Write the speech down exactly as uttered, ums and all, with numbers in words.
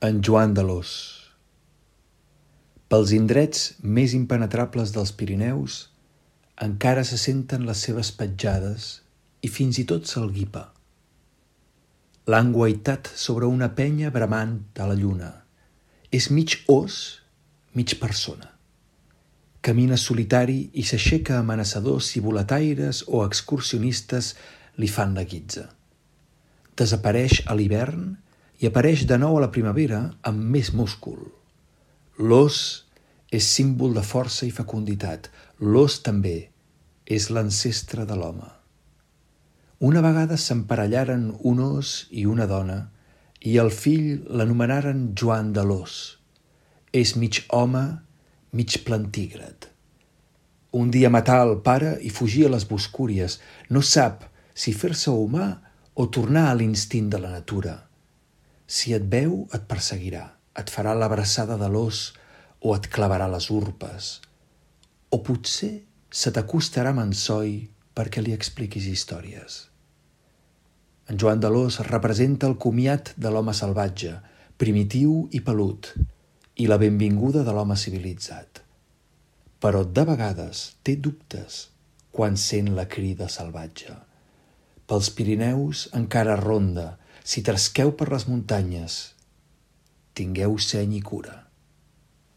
En Joan d'Alòs. Pels indrets més impenetrables dels Pirineus encara se senten les seves petjades i fins i tot se'l guipa. L'han guaitat sobre una penya bramant a la lluna. És mig ós, mig persona. Camina solitari i s'aixeca amenaçador si boletaires o excursionistes li fan la guitza. Desapareix a l'hivern i apareix de nou a la primavera amb més múscul. L'ós és símbol de força i fecunditat. L'ós també és l'ancestre de l'home. Una vegada s'emparellaren un ós i una dona i el fill l'anomenaren Joan d'Alòs. És mig home, mig plantígrad. Un dia matà el pare i fugir a les boscúries. No sap si fer-se humà o tornar a l'instint de la natura. Si et veu, et perseguirà, et farà l'abraçada de l'ós o et clavarà les urpes. O potser se t'acostarà mansoi perquè li expliquis històries. En Joan d'Alòs representa el comiat de l'home salvatge, primitiu i pelut, i la benvinguda de l'home civilitzat. Però de vegades té dubtes quan sent la crida salvatge. Pels Pirineus encara ronda. Si trasqueu per les muntanyes, tingueu seny i cura.